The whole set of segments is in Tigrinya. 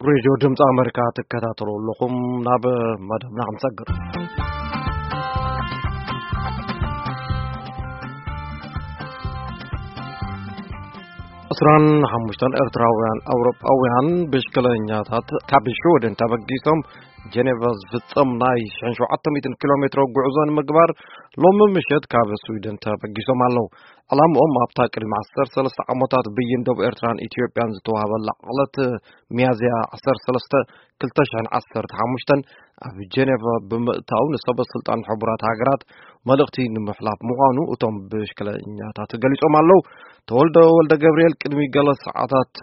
ሬድዮ ድምፂ ኣመሪካ ትከታተሉ ኣለኹም። ናብ መደብና ክንሰግር። ዕስራን ሓሙሽተን ኤርትራውያን ኣውሮጳውያን ብሽክለኛታት ካብ ሽወደን ተበጊሶም ጀኔቫ ዝፍጸም ናይ ሽሕን ሸውዓተ ሚእትን ኪሎ ሜትሮ ጉዕዞ ንምግባር ሎሚ ምሸት ካብ ስዊድን ተበጊሶም ኣለዉ። ዕላምኦም ኣብታ ቅድሚ ዓሰርተ ሰለስተ ዓመታት ብይን ደቡብ ኤርትራን ኢትዮጵያን ዝተዋህበላ ዕለት ሚያዝያ ዓሰርተ ሰለስተ ክልተ ሽሕን ዓሰርተ ሓሙሽተን ኣብ ጀኔቫ ብምእታው ንሰበ ስልጣን ሕቡራት ሃገራት መልእኽቲ ንምሕላፍ ምዃኑ እቶም ብሽክለኛታት ገሊጾም ኣለዉ። ተወልደ ወልደ ገብርኤል ቅድሚ ገለ ሰዓታት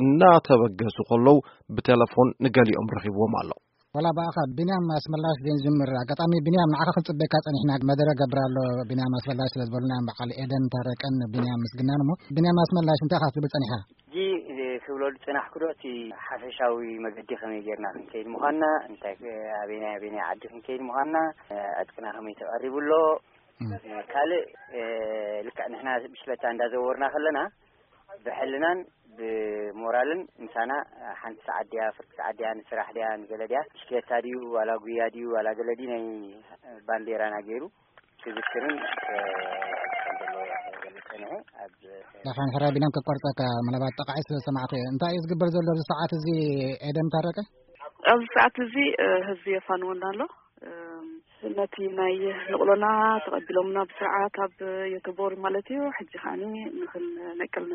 እናተበገሱ ከለዉ ብቴሌፎን ንገሊኦም ረኺብዎም ኣሎ። ወላ ብኣኻ ቢንያም ኣስመላሽ ዘይንጅምር፣ ኣጋጣሚ ቢንያም ንዓኻ ክንጽበካ ጸኒሕና፣ መደረ ገብር ኣሎ ቢንያም ኣስመላሽ ስለ ዝበሉና እዮም በዓል ኤደን ታረቀን ቢንያም ምስግናን። እሞ ቢንያም ኣስመላሽ እንታይ ኢኻ ክትብል ጸኒሕካ? ሕጂ ክብሎ ዝጸናሕኩ ዶ እቲ ሓፈሻዊ መገዲ ከመይ ጌርና ክንከይድ ምዃንና፣ እንታይ ኣበናይ ኣበናይ ዓዲ ክንከይድ ምዃንና፣ ዕጥቅና ከመይ ተቐሪቡ ኣሎ፣ ካልእ ልክዕ ንሕና ብሽክለታ እንዳዘወርና ከለና ብሕልናን ብሞራልን ምሳና ሓንቲ ሰዓት ድያ፣ ፍርቂ ሰዓት ድያ፣ ንስራሕ ድያ፣ ንገለ ድያ፣ ብሽክለታ ድዩ ዋላ ጉያ ድዩ ዋላ ገለ ድዩ ናይ ባንዴራና ገይሩ ክዝክርን ከም ዘለዎ ክገልጽ ጸኒሑ። ኣብ ዳፋን ሕራይ ቢንያም ከቋርጸካ፣ ምናልባት ጠቃዒ ስለ ዝሰማዕኩ እየ። እንታይ እዩ ዝግበር ዘሎ ኣብዚ ሰዓት እዚ ኤደን ታረቀ? ኣብዚ ሰዓት እዚ ህዝቢ የፋንወና ኣሎ። ነቲ ናይ ንቕሎና ተቐቢሎምና ብስርዓት ኣብ የተቦሪ ማለት እዩ። ሕጂ ከዓኒ ንክንነቅል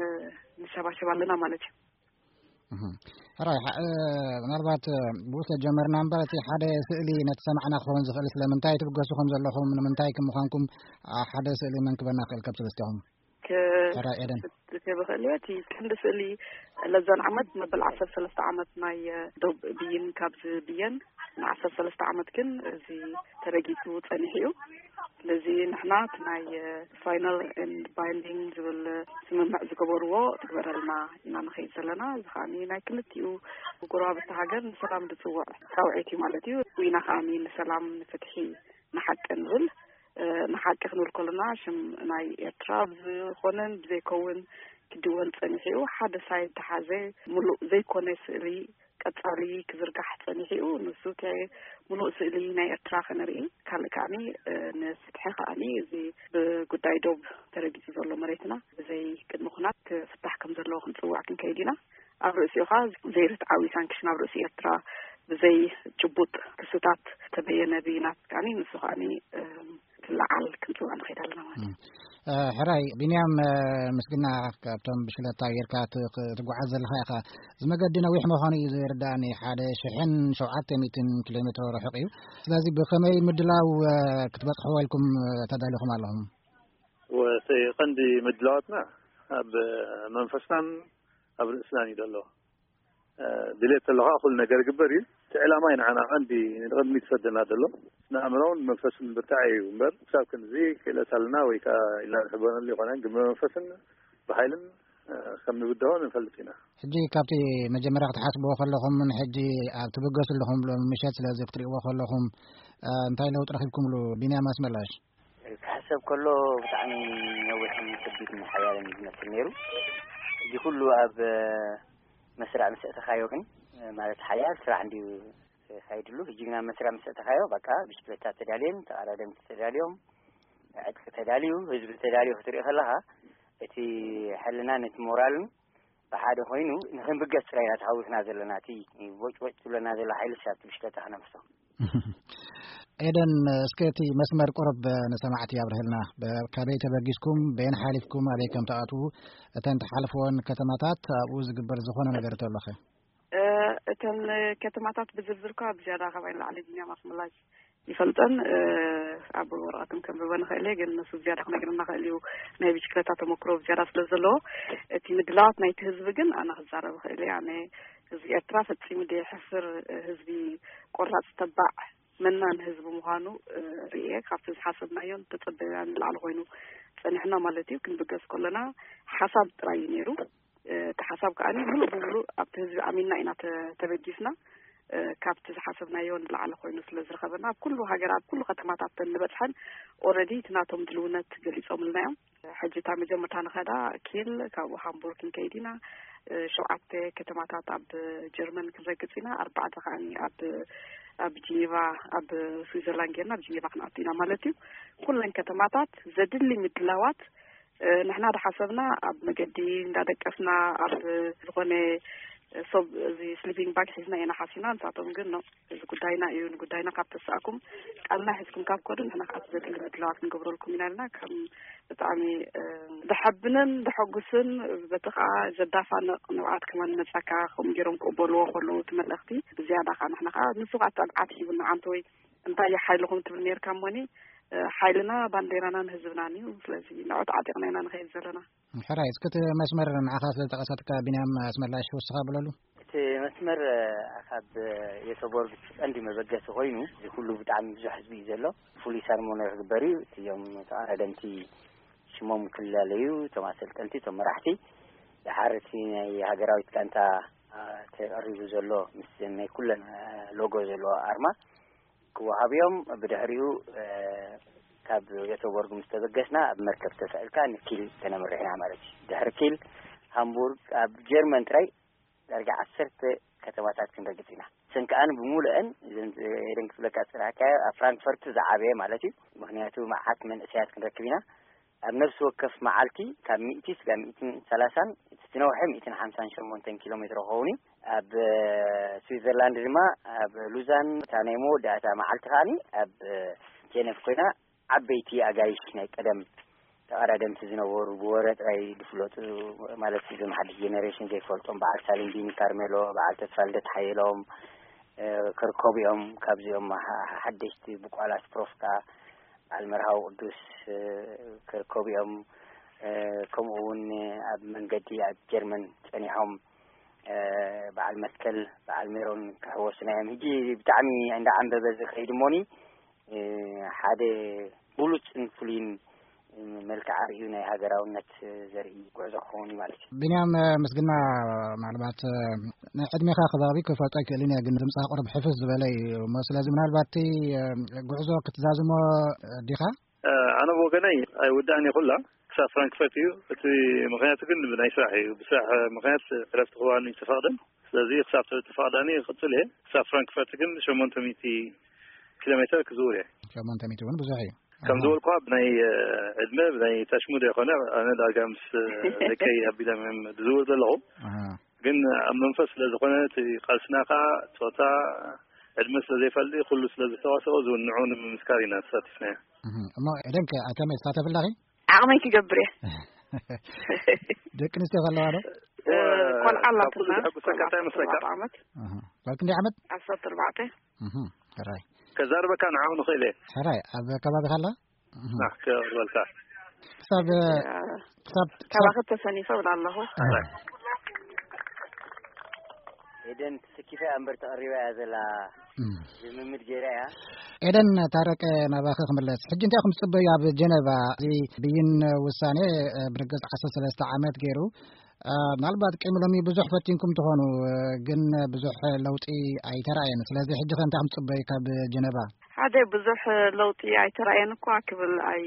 ንሸባሸብ ኣለና ማለት እዩ። ሕራይ፣ ምናልባት ብኡ ስለ ጀመርና እምበር እቲ ሓደ ስእሊ ነቲ ሰማዕና ክኸውን ዝኽእል ስለምንታይ ትብገሱ ከም ዘለኹም፣ ንምንታይ ከም ምዃንኩም ሓደ ስእሊ መንክበና ክእል ከብ ሰለስቲኹም? ሕራይ ኤደን። ከብኽእል እየ። እቲ ቀንዲ ስእሊ ለዛን ዓመት መበል ዓሰርተ ሰለስተ ዓመት ናይ ዶብ ብይን ካብ ዝብየን ንዓሰርተ ሰለስተ ዓመት ግን እዚ ተረጊጹ ጸኒሑ እዩ። ስለዚ ንሕና እቲ ናይ ፋይናል ኤንድ ባይንዲንግ ዝብል ስምምዕ ዝገበርዎ ትግበረልና ኢና ንኸይድ ዘለና። እዚ ከዓኒ ናይ ክልቲኡ ጎረባብቲ ሃገር ንሰላም ዝጽውዕ ጻውዒት እዩ ማለት እዩ። ዊና ከዓኒ ንሰላም፣ ንፍትሒ፣ ንሓቂ ንብል። ንሓቂ ክንብል ከለና ሽም ናይ ኤርትራ ብዝኾነን ብዘይከውን ክድወል ጸኒሑ እዩ። ሓደ ሳይድ ተሓዘ፣ ምሉእ ዘይኮነ ስእሊ ቀጻሊ ክዝርጋሕ ጸኒሑ እዩ። ንሱ እቲ ምሉእ ስእሊ ናይ ኤርትራ ከነርኢ፣ ካልእ ከዓኒ ንፍትሒ ከዓኒ እዚ ብጉዳይ ዶብ ተረጊጹ ዘሎ መሬትና ብዘይ ቅድሚ ኩናት ክፍታሕ ከም ዘለዎ ክንጽውዕ ክንከይድ ኢና። ኣብ ርእሲኡ ከኣ ዘይርትዓዊ ሳንክሽን ኣብ ርእሲ ኤርትራ ብዘይ ጭቡጥ ክስታት ተበየነ ብይናት ከዓኒ ንሱ ከዓኒ ክለዓል ክንጽውዕ ንኸይድ ኣለና ማለት እዩ። ሕራይ ቢንያም፣ ምስግና ካብቶም ብሽክለታ ጌርካ ትጓዓዝ ዘለኻ ኢኻ። እዚ መገዲ ነዊሕ ምዃኑ እዩ ዝርዳእኒ፣ ሓደ ሽሕን ሸውዓተ ሚእትን ኪሎ ሜትሮ ርሑቕ እዩ። ስለዚ ብኸመይ ምድላው ክትበጽሕዎ ኢልኩም ተዳሊኹም ኣለኹም? ወሰይ ቀንዲ ምድላዋትና ኣብ መንፈስናን ኣብ ርእስናን እዩ ዘሎ። ድሌት ተለኻ ኩሉ ነገር ይግበር እዩ። እቲ ዕላማ እዩ ንዓና ቀንዲ ንቕድሚት ዝሰደና ዘሎ። ንኣእምሮን መንፈስን ብርታዕ እዩ እምበር፣ ክሳብ ክንዚ ክእለት ኣለና ወይ ከዓ ኢልና ንሕበነሉ ይኾነ፣ ግን ብመንፈስን ብሓይልን ከም ንብድሆ ንፈልጥ ኢና። ሕጂ ካብቲ መጀመርያ ክትሓስብዎ ከለኹም፣ ሕጂ ኣብ ትብገሱ ኣለኹም ሎም ምሸት፣ ስለዚ ክትሪእዎ ከለኹም እንታይ ለውጢ ረኺብኩምሉ? ቢንያም ኣስመላሽ። ክሕሰብ ከሎ ብጣዕሚ ነዊሕን ከቢድን ሓያልን ዝመስል ነይሩ። እዚ ኩሉ ኣብ መስርዕ ምስ ኣእተኻዮ ግን፣ ማለት ሓያል ስራሕ እንድዩ ካይድሉ። ሕጂ ግና መስርዕ ምስ ኣእተኻዮ በቃ ብሽክለታ ተዳልየን፣ ተቐዳደምቲ ተዳልዮም፣ ዕጥቂ ተዳልዩ፣ ህዝቢ ተዳልዩ ክትርኢ ከለኻ እቲ ሕልናን እቲ ሞራልን ብሓደ ኮይኑ ንኽንብገስ ጥራይ ኢና ተሃዊኽና ዘለና። እቲ ቦጭቦጭ ትብለና ዘላ ሓይልስ ኣብቲ ብሽክለታ ክነፍሶ። ኤደን፣ እስከ እቲ መስመር ቁሩብ ንሰማዕቲ ኣብርህልና። በ-፣ ካበይ ተበጊስኩም፣ በየን ሓሊፍኩም፣ ኣበይ ከም ትኣትዉ፣ እተን ትሓልፍወን ከተማታት፣ ኣብኡ ዝግበር ዝኾነ ነገር ተሎኸ? እ፣ እተን ከተማታት ብዝርዝር እኳ ብዝያዳ ካባይ ንላዕሊ ቢንያም ኣስመላሽ ይፈልጠን። እ፣ ኣብ ወረቐት እውን ከንብበን እኽእል እየ፣ ግን ንሱ ብዝያዳ ክነግረና ይኽእል እዩ፣ ናይ ብሽክለታ ተመክሮ ብዝያዳ ስለ ዘለዎ። እቲ ምድላዋት ናይቲ ህዝቢ ግን ኣነ ክዛረብ እኽእል እየ። ኣነ ህዝቢ ኤርትራ ፈጺሙ ዘይሕፍር ህዝቢ፣ ቆራጽ፣ ተባዕ፣ መናን ህዝቢ ምዃኑ፣ እ፣ ርእየ። ካብቲ ዝሓሰብናዮን ዝተጸበናዮን ንላዕሊ ኮይኑ ጸኒሕና ማለት እዩ። ክንብገስ ከለና ሓሳብ ጥራይ እዩ ነይሩ። እ፣ እቲ ሓሳብ ከኣ ምሉእ ብምሉእ ኣብቲ ህዝቢ ኣሚንና ኢና ተ-፣ ተበጊስና። ካብቲ ዝሓሰብናዮ ንላዕሊ ኮይኑ ስለ ዝረኸበና፣ ኣብ ኩሉ ሃገር፣ ኣብ ኩሉ ከተማታት እንበፅሐን ኦረዲ እቲ ናቶም ድልውነት ገሊፆምልና እዮም። ሕጂ እታ መጀመርታ ንኸዳ ኪል፣ ካብኡ ሃምቡርግ ክንከይድ ኢና። ሸውዓተ ከተማታት ኣብ ጀርመን ክንረግፅ ኢና። ኣርባዕተ ከዓኒ ኣብ ኣብ ጂኔቫ፣ ኣብ ስዊዘርላንድ ጌርና ኣብ ጂኔቫ ክንኣቱ ኢና ማለት እዩ። ኩለን ከተማታት ዘድሊ ምድላዋት ንሕና ዝሓሰብና ኣብ መገዲ እንዳደቀስና ኣብ ዝኾነ ሰብ እዚ ስሊፒንግ ባግ ሒዝና ኢና ሓሲና። ንሳቶም ግን ኖ፣ እዚ ጉዳይና እዩ፣ ንጉዳይና ካብ ተሳእኩም ቃልና ሒዝኩም ካብ ከዱ ንሕና ከኣ ዘድሊ ምድላዋት ክንገብረልኩም ኢና ኢልና ከም ብጣዕሚ ደሓብንን ደሐጉስን በቲ ከኣ ዘዳፋንቕ ንብዓት ከማን መጻካ ከም ገይሮም ክቕበልዎ ከለዉ እቲ መልእኽቲ ብዝያዳ ከኣ ንሕና ከኣ ንሱ ከኣ ጸብዓት ሂቡና ዓንተወይ እንታይ እዩ ሓይልኹም ትብል ነርካ እሞኒ ሓይልና ባንዴራናን ህዝብናን እዩ። ስለዚ ንዑ ተዓጢቕና ኢና ንኸይድ ዘለና። ሕራይ እስክቲ መስመር ንዓኻ ስለ ዝጠቐሰትካ ቢንያም ኣስመላሽ ወስኻ ብለሉ። እቲ መስመር ካብ የቶቦርግ ቀንዲ መበገሲ ኮይኑ እዚ ኩሉ ብጣዕሚ ብዙሕ ህዝቢ እዩ ዘሎ። ፍሉይ ሰርሞኒ ክግበር እዩ። እቲዮም ተቐዳደምቲ ሽሞም ክላለዩ እቶም ኣሰልጠንቲ እቶም መራሕቲ ድሓር እቲ ናይ ሃገራዊት ጋንታ ተቐሪቡ ዘሎ ምስ ናይ ኩለን ሎጎ ዘለዎ ኣርማ ክወሃብ እዮም። ብድሕሪኡ ካብ የቶቦርግ ምስ ተበገስና ኣብ መርከብ ተሳኢልካ ንኪል ተነምርሕ ኢና ማለት እዩ። ድሕሪ ኪል ሃምቡርግ ኣብ ጀርመን ጥራይ ዳርጋ ዓሰርተ ከተማታት ክንረግጽ ኢና። እሰን ከኣ ብሙሉአን እዘን ኤደን ክፍለካ ዝጸናሕካዮ ኣብ ፍራንክፈርት ዝዓበየ ማለት እዩ። ምኽንያቱ መዓት መንእሰያት ክንረክብ ኢና። ኣብ ነፍሲ ወከፍ መዓልቲ ካብ ሚእቲ ስጋብ ሚእትን ሰላሳን እቲ ዝነውሐ ሚእትን ሓምሳን ሸሞንተን ኪሎ ሜትሮ ክኸውን እዩ። ኣብ ስዊዘርላንድ ድማ ኣብ ሉዛን እታ ናይ መወዳእታ መዓልቲ ከዓኒ ኣብ ጀነቭ ኮይና ዓበይቲ ኣጋይሽ ናይ ቀደም ተቐዳደምቲ ዝነበሩ ብወረ ጥራይ ዝፍለጡ ማለት እዞም ሓድሽ ጀነሬሽን ዘይፈልጦም በዓል ሳሊም ቢኒ ካርሜሎ፣ በዓል ተስፋ ልደት ሓየሎም፣ ከርከቡ እዮም። ካብዚኦም ሓደሽቲ ብቋላት ፕሮፍካ በዓል መርሃዊ ቅዱስ ከርከቡ እዮም። ከምኡ እውን ኣብ መንገዲ ኣብ ጀርመን ጸኒሖም በዓል መትከል በዓል ሜሮን ክሕወሱና እዮም። ሕጂ ብጣዕሚ እንዳዓንበበ ዝኸይድ እሞኒ ሓደ ብሉፅን ፍሉይን መልክዓ ርእዩ ናይ ሃገራውነት ዘርኢ ጉዕዞ ክኸውን እዩ ማለት እዩ። ቢንያም ምስግና፣ ምናልባት ንዕድሜኻ ከባቢ ክፈልጦ ኣይክእልን እየ፣ ግን ድምፅኻ ቁርብ ሕፍስ ዝበለ እዩ እሞ ስለዚ ምናልባት እቲ ጉዕዞ ክትዛዝሞ ዲኻ? ኣነ ብወገነይ ኣይውዳእን እዩ ኩላ ክሳብ ፍራንክፈርት እዩ። እቲ ምኽንያቱ ግን ብናይ ስራሕ እዩ። ብስራሕ ምኽንያት ዕረፍቲ ክዋኒ ተፈቕደን ስለዚ ክሳብ ተፈቕዳኒ ክቕፅል እየ። ክሳብ ፍራንክፈርት ግን ሸሞንተ ሚእቲ ኪሎ ሜትር ክዝውር እየ። ሸሞንተ ሚእቲ እውን ብዙሕ እዩ። ከም ዝበልኩኻ ብናይ ዕድመ ብናይ ታሽሙድ ኣይኮነ ኣነ ዳርጋ ምስ ደቀይ ኣቢሎም እዮም ዝዝውር ዘለኹ። ግን ኣብ መንፈስ ስለ ዝኾነ እቲ ቃልስና ከዓ ፆታ ዕድመ ስለ ዘይፈልጥ ኩሉ ስለ ዝተዋሰኦ ዝውንዑ ንምምስካር ኢና ተሳቲፍናዮ። እሞ ዕደንከ ኣተመ ትሳተፍ ኣለኺ? ዓቕመይ ክገብር እየ። ደቂ ኣንስትዮ ከለዋ ዶ? ቆልዓ ኣላትና። ቆልዓ ዓመት። ጓል ክንደይ ዓመት? ዓሰርተ ኣርባዕተ። ሕራይ። ከዛርበካ ንዓኹ ንኽእል እየ። ሕራይ ኣብ ከባቢኻ ኣላ? ክበልካ። ክሳብ ክሳብ ካባኺ ተሰኒፈ እብል ኣለኹ። ኤደን ትስኪፈ እምበር ተቐሪባ እያ ዘላ። ልምምድ ገይራ እያ። ኤደን ታረቀ፣ ናባኺ ክምለስ። ሕጂ እንታይ ኢኹም ትጽበዩ ኣብ ጀነቫ? እዚ ብይን ውሳኔ ብርግጽ ዓሰርተ ሰለስተ ዓመት ገይሩ። ምናልባት ቅድሚ ሎሚ ብዙሕ ፈቲንኩም ትኾኑ፣ ግን ብዙሕ ለውጢ ኣይተራእየን። ስለዚ ሕጂ ከ እንታይ ኢኹም ትጽበዩ ካብ ጀነቫ? ሓደ ብዙሕ ለውጢ ኣይተራእየን እኳ ክብል ኣይ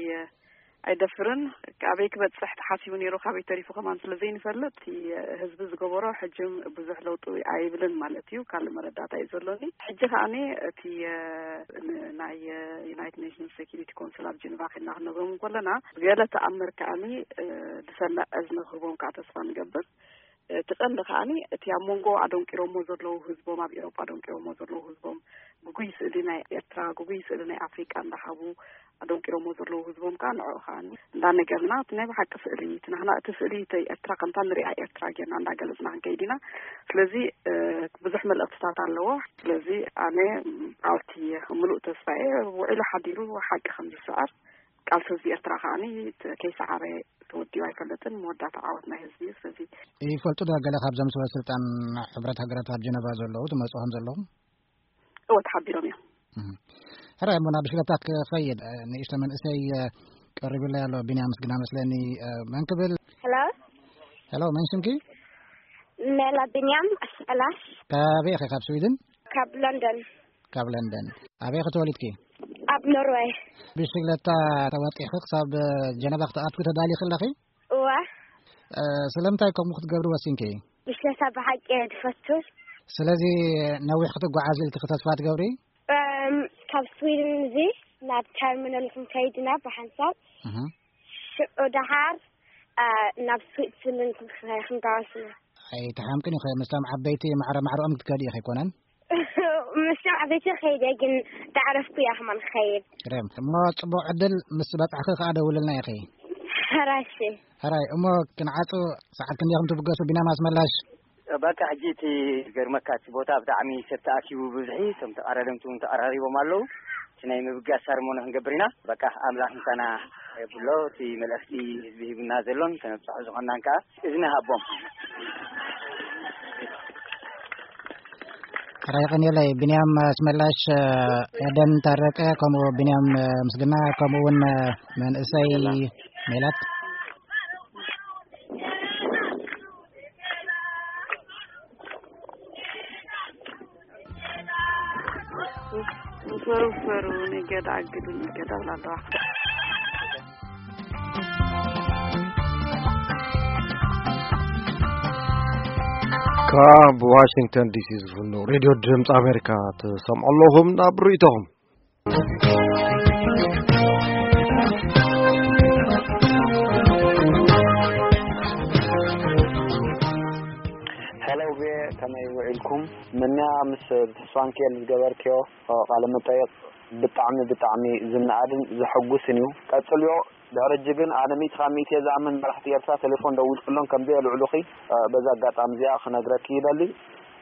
ኣይደፍርን። ካበይ ክበጽሕ ተሓሲቡ ነይሩ፣ ካበይ ተሪፉ ከማን ስለ ዘይንፈልጥ፣ እቲ ህዝቢ ዝገበሮ ሕጅም ብዙሕ ለውጢ ኣይብልን ማለት እዩ። ካልእ መረዳእታ እዩ ዘሎኒ። ሕጂ ከኣኒ እቲ፣ እ፣ ን-፣ ናይ፣ እ፣ ዩናይትድ ኔሽንስ ሴኪሪቲ ኮንስል ኣብ ጀኔቫ ኬድና ክንነግሮም እንከለና፣ ብገለ ተኣምር ከኣኒ፣ እ፣ ዝሰምዕ እዝኒ ክህቦም ከኣ ተስፋ ንገብር። እቲ ቀንዲ ከኣኒ እቲ ኣብ መንጎ ኣደንቂሮሞ ዘለዉ ህዝቦም፣ ኣብ ኤውሮጳ ኣደንቂሮሞ ዘለዉ ህዝቦም፣ ግጉይ ስእሊ ናይ ኤርትራ፣ ግጉይ ስእሊ ናይ ኣፍሪቃ እንዳሃቡ ኣደንቂሮሞ ዘለዉ ህዝቦም ከኣ ንዕኡ ከኣኒ እንዳነገርና፣ እቲ ናይ ብሓቂ ስእሊ፣ እቲ ናህና፣ እቲ ስእሊ፣ እቲ ኤርትራ ከምታ ንሪኣ ኤርትራ ጌርና እንዳገለጽና ክንከይድ ኢና። ስለዚ፣ እ፣ ብዙሕ መልእኽትታት ኣለዎ። ስለዚ ኣነ ዓወት እየ፣ ምሉእ ተስፋ እየ። ውዒሉ ሓዲሩ ሓቂ ከም ዝስዕር፣ ቃልሲ ህዝቢ ኤርትራ ከኣኒ ት-፣ ከይሰዓረ ተወዲኡ ኣይፈልጥን። መወዳእታ ዓወት ናይ ህዝቢ እዩ። ስለዚ ይፈልጡ ዶ ገለ ካብዞም ሰበ ስልጣን ሕብረት ሃገራት ኣብ ጀነቫ ዘለዉ ትመጽኡ ከም ዘለኹም? እወ፣ ተሓቢሮም እዮም። እህ። ሕራይ እሞ ናብ ሽለታ ክኸይድ፣ እ፣ ንእሽቶ መንእሰይ፣ እ፣ ቀሪቡለይ ኣሎ። ቢንያም ምስግና መስለኒ፣ እ፣ መን ክብል? ሄሎ። ሄሎ፣ መን ሽምኪ? ሜላ ቢንያም ኣስመላሽ። ካበይ ኢኺ? ካብ ስዊድን? ካብ ለንደን። ካብ ለንደን። ኣበይ ኸ ተወሊድኪ? ኣብ ኖርወይ። ብሽግለታ ተወጢኺ ክሳብ ጀነቫ ክትኣትዊ ተዳሊኺ ኣለኺ? እዋ። ስለምንታይ ከምኡ ክትገብሪ ወሲንኪ? ብሽግለታ ብሓቂ እየ ዝፈቱ። ስለዚ ነዊሕ ክትጓዓዝ ኢልኪ ተስፋ ትገብሪ? እም፣ ካብ ስዊድን እዚ ናብ ተርሚናል ክንከይድ ኢና ብሓንሳብ። እህ። ሽዑ ደሓር፣ እ፣ ናብ ስዊትዘርላንድ ክንከ-፣ ክንጓዓዝ ኢና። ኣይተሓምቅን ኢኺ፣ ምስቶም ዓበይቲ ማዕረ ማዕረኦም ክትከዲ ኢኺ ኣይኮነን? ምስቶም ዓበይቲ ከይደ፣ ግን ዳዕረፍኩ እያ ከማን ክኸይድ። ግርም። እሞ ጽቡቕ ዕድል፣ ምስ በጻሕኺ ከኣ ደውልልና ኢኺ። ሕራይ እሺ። ሕራይ፣ እሞ ክንዓጹ ሰዓት ክንደይ ከም ትብገሱ ቢናም ኣስመላሽ? በቃ ሕጂ እቲ ገርመካ እቲ ቦታ ብጣዕሚ ሰብ ተኣኪቡ ብብዝሒ፣ እቶም ተቐዳደምቲ እውን ተቐራሪቦም ኣለዉ። እቲ ናይ ምብጋስ ሰርሞኒ ክንገብር ኢና። በቃ ኣምላኽ ምሳና የብሎ። እቲ መልእኽቲ ህዝቢ ሂቡና ዘሎን ከነብጽሖ ዝኾንናን ከኣ እዝኒ ሃቦም። ሕራይ የቐንየለይ። ቢንያም ኣስመላሽ፣ ኤደን ታረቀ፣ ከምኡ ቢንያም ምስግና፣ ከምኡ እውን መንእሰይ ሜላት። ፈሩ ፈሩ ንገዳ ኣግዱ ንገዳ ብላ ኣለዋ። ካብ ዋሽንግተን ዲሲ ዝፍኖ ሬድዮ ድምፂ ኣሜሪካ ትሰምዑ ኣለኹም። ናብ ርእይቶኹም። ሄሎ ቤ፣ ከመይ ውዒልኩም? ምንያ ምስ ተስፋንኪኤል ዝገበርክዮ ቃለ መጠይቕ ብጣዕሚ፣ ብጣዕሚ ዝነኣድን ዘሐጉስን እዩ። ቀጽልዮ። ድሕሪ ሕጂ ግን ኣነ ሚእቲ ካብ ሚእቲ እየ ዝኣምን መራሕቲ ኤርትራ ቴሌፎን ደዊልክሎም ከም ዘየልዕሉኺ፣ እ፣ በዛ ኣጋጣሚ እዚኣ ክነግረኪ ይደሊ።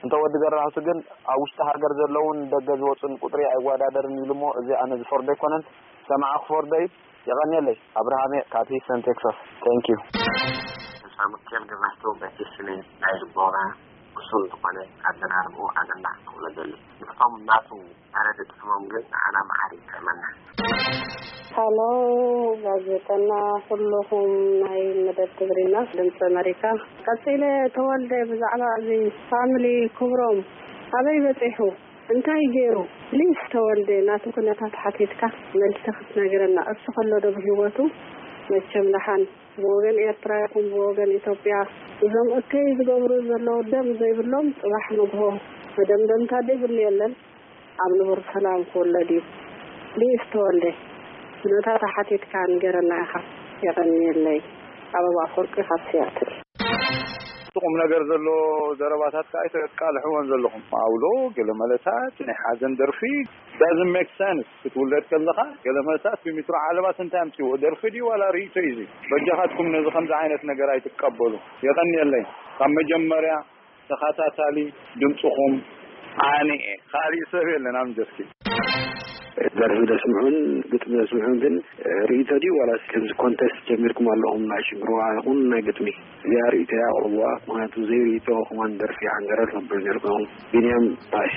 እንተ ወዲ ገራሁት ግን ኣብ ውሽጢ ሃገር ዘለውን ደገ ዝወጹን ቁጽሪ ኣይወዳደርን ኢሉ እሞ፣ እዚ ኣነ ዝፈርዶ ኣይኮነን። ሰማዒ ክፈርዶ እዩ። የቐንየለይ። ኣብርሃም እየ ካብ ሂስተን ቴክሳስ። Thank you። ሳሙኤል ገብረሕቱ በቲ ስሜት ናይ ልቦና ብሱል ዝኾነ ኣዘራርብኡ ኣገናዕ ክብሎ ደሊ። ንዕቶም ናቱ ኣረ ድጥዕሞም ግን ንዓና መዓር ይጥዕመና። ሃሎ ጋዜጠና፣ ኩልኹም ናይ መደብ ትግርኛ ድምፂ ኣመሪካ። ቀፂለ ተወልደ ብዛዕባ እዚ ፋሚሊ ክብሮም ኣበይ በፂሑ? እንታይ ገይሩ? ፕሊስ ተወልደ ናቱ ኩነታት ሓቲትካ መልሲ ክትነግረና። እሱ ከሎ ዶ ብህይወቱ? መቸም ደሓን ብወገን ኤርትራ ይኹን ብወገን ኢትዮጵያ እዞም እከይ ዝገብሩ ዘለዉ ደም ዘይብሎም ጽባሕ ንግሆ መደምደምታ ዘይብሉ የለን። ኣብ ንቡር ሰላም ክውለድ እዩ። ፕሊስ ተወልደ ኩነታት ሓቲትካ ንገረና ኢኻ። የቐንየለይ። ኣበባ ኣፈወርቂ ካብ ሲያትል። እቲ ቁም ነገር ዘሎ ዘረባታት ከኣ ኣይተቃልሕዎን ዘለኹም። ኣውሎ ገለ መለታት ናይ ሓዘን ደርፊ doesn't make sense። ክትውለድ ከለኻ ገለ መለታት ብሚትሮ ዓለባ እንታይ ኣምጺዎ? ደርፊ ድዩ ዋላ ርእይቶ እዩ? እዚ በጃኻትኩም ነዚ ከምዚ ዓይነት ነገር ኣይትቀበሉ። የቐንየለይ። ካብ መጀመርያ ተኸታታሊ ድምፅኹም ኣነ እየ። ካሊእ ሰብ የለን ኣብ ጀስኪ። ደርፊ ደስምዑን ግጥሚ ደስምዑን ግን ርእይቶ ድዩ ዋላስ ከምዚ ኮንተስት ጀሚርኩም ኣለኹም ናይ ሽንግርዋ ይኹን ናይ ግጥሚ? እዚኣ ርእይቶ እያ ኣቕርብዋ። ምኽንያቱ ዘይርእይቶ ከማን ደርፊ ሓንገረር ነብር ነርኩም። ቢንያም ባሽ።